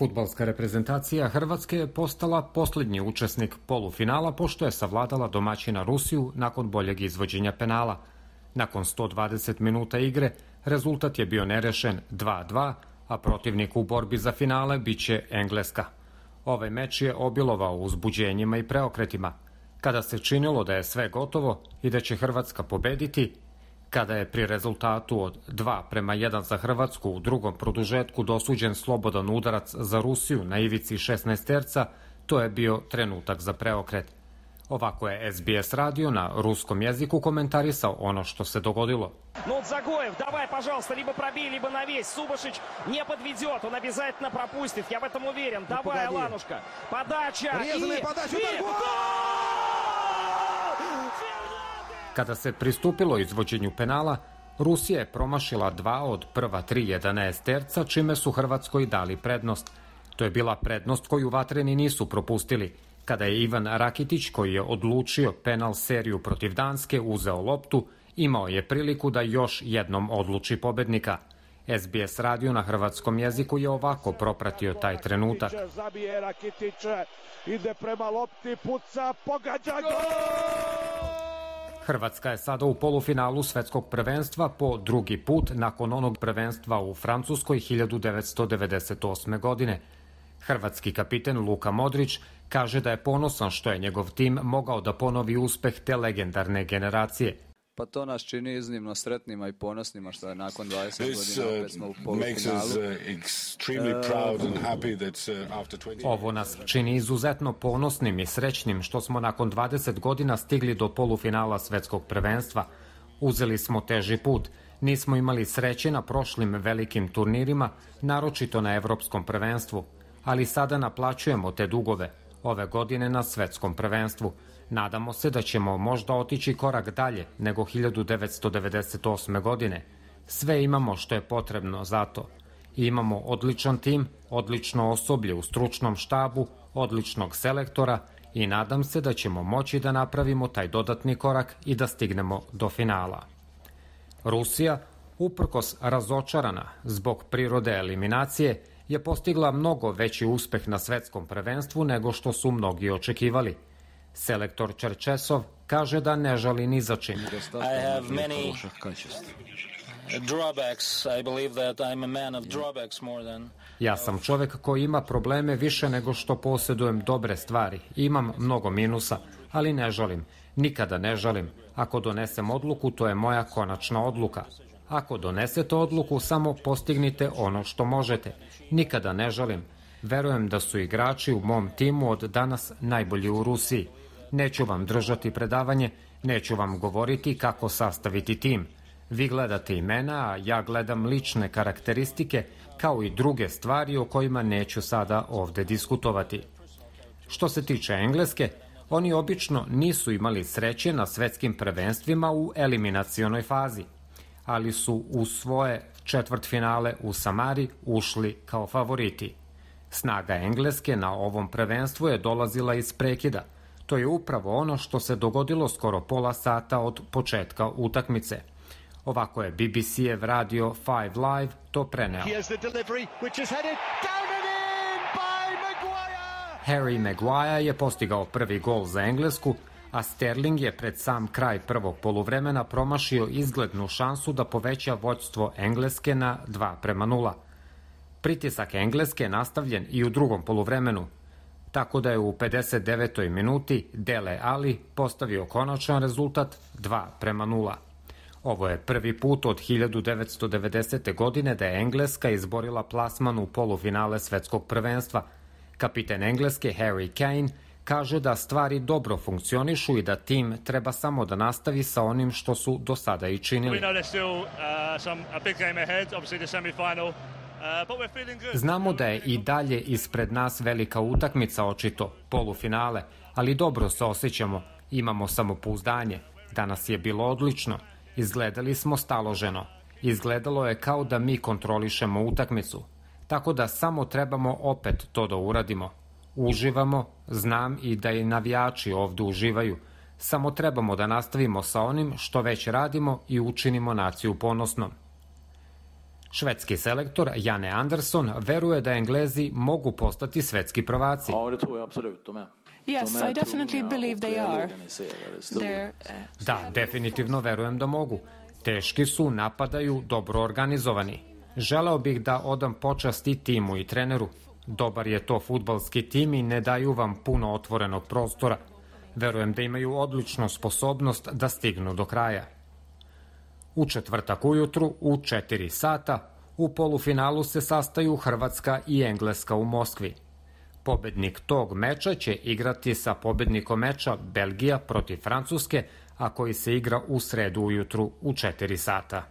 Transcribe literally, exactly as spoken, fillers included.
Fudbalska reprezentacija Hrvatske je postala posljednji učesnik polufinala pošto je savladala domaćina Rusiju nakon boljeg izvođenja penala. Nakon sto dvadeset minuta igre rezultat je bio nerešen dva dva, a protivnik u borbi za finale biće Engleska. Ovaj meč je obilovao uzbuđenjima i preokretima. Kada se činilo da je sve gotovo i da će Hrvatska pobediti, kada je pri rezultatu od dva prema jedan za Hrvatsku u drugom produžetku dosuđen slobodan udarac za Rusiju na ivici šesnaesterca, to je bio trenutak za preokret. Ovako je es be es radio na ruskom jeziku komentarisao ono što se dogodilo. Нуртзагоев, давай, пожалуйста, либо пробей, либо навесь. Субашич не подведет, он обязательно пропустит, я в этом уверен. Давай, Аланушка, подача и... подача, Kada se pristupilo izvođenju penala, Rusija je promašila dva od prva tri jedanaesterca, čime su Hrvatskoj dali prednost. To je bila prednost koju vatreni nisu propustili. Kada je Ivan Rakitić, koji je odlučio penal seriju protiv Danske, uzeo loptu, imao je priliku da još jednom odluči pobednika. es be es radio na hrvatskom jeziku je ovako propratio taj trenutak. Zabije Rakitić, ide prema lopti, puca, pogađa gol! Hrvatska je sada u polufinalu svetskog prvenstva po drugi put nakon onog prvenstva u Francuskoj hiljadu devetsto devedeset osme. godine. Hrvatski kapiten Luka Modrić kaže da je ponosan što je njegov tim mogao da ponovi uspeh te legendarne generacije. Pa to nas čini iznimno sretnima i ponosnima što je nakon dvadeset godina opet smo u polufinalu. Ovo nas čini izuzetno ponosnim i srećnim što smo nakon dvadeset godina stigli do polufinala svetskog prvenstva. Uzeli smo teži put, nismo imali sreće na prošlim velikim turnirima, naročito na evropskom prvenstvu, ali sada naplaćujemo te dugove, ove godine na svetskom prvenstvu. Nadamo se da ćemo možda otići korak dalje nego hiljadu devetsto devedeset osme. godine. Sve imamo što je potrebno za to. Imamo odličan tim, odlično osoblje u stručnom štabu, odličnog selektora i nadam se da ćemo moći da napravimo taj dodatni korak i da stignemo do finala. Rusija, uprkos razočarana zbog prirode eliminacije, je postigla mnogo veći uspeh na svetskom prvenstvu nego što su mnogi očekivali. Selektor Čerčesov kaže da ne žali ni za čim. Ja sam čovek koji ima probleme više nego što posjedujem dobre stvari. Imam mnogo minusa, ali ne žalim. Nikada ne žalim. Ako donesem odluku, to je moja konačna odluka. Ako donesete odluku, samo postignite ono što možete. Nikada ne žalim. Verujem da su igrači u mom timu od danas najbolji u Rusiji. Neću vam držati predavanje, neću vam govoriti kako sastaviti tim. Vi gledate imena, a ja gledam lične karakteristike, kao i druge stvari o kojima neću sada ovde diskutovati. Što se tiče Engleske, oni obično nisu imali sreće na svetskim prvenstvima u eliminacionoj fazi, ali su u svoje četvrtfinale u Samari ušli kao favoriti. Snaga Engleske na ovom prvenstvu je dolazila iz prekida. To je upravo ono što se dogodilo skoro pola sata od početka utakmice. Ovako je be be ce-ev radio Five Live to preneo. Harry Maguire je postigao prvi gol za Englesku, a Sterling je pred sam kraj prvog poluvremena promašio izglednu šansu da poveća vođstvo Engleske na dva prema nula. Pritisak Engleske je nastavljen i u drugom poluvremenu, tako da je u pedeset devetoj minuti Dele Alli postavio konačan rezultat dva prema nula. Ovo je prvi put od hiljadu devetsto devedesete. godine da je Engleska izborila plasman u polufinale svetskog prvenstva. Kapiten Engleske Harry Kane kaže da stvari dobro funkcionišu i da tim treba samo da nastavi sa onim što su do sada i činili. Znamo da je i dalje ispred nas velika utakmica, očito, polufinale, ali dobro se osjećamo, imamo samopouzdanje. Danas je bilo odlično, izgledali smo staloženo, izgledalo je kao da mi kontrolišemo utakmicu, tako da samo trebamo opet to da uradimo. Uživamo, znam i da i navijači ovde uživaju, samo trebamo da nastavimo sa onim što već radimo i učinimo naciju ponosnom. Švedski selektor Janne Andersson veruje da Englezi mogu postati svetski prvaci. Yes, I definitely believe they are. Da, definitivno verujem da mogu. Teški su, napadaju, dobro organizovani. Želeo bih da odam počast i timu i treneru. Dobar je to fudbalski tim i ne daju vam puno otvorenog prostora. Verujem da imaju odličnu sposobnost da stignu do kraja. U četvrtak ujutru, u četiri sata, u polufinalu se sastaju Hrvatska i Engleska u Moskvi. Pobednik tog meča će igrati sa pobednikom meča Belgija protiv Francuske, a koji se igra u sredu ujutru u četiri sata.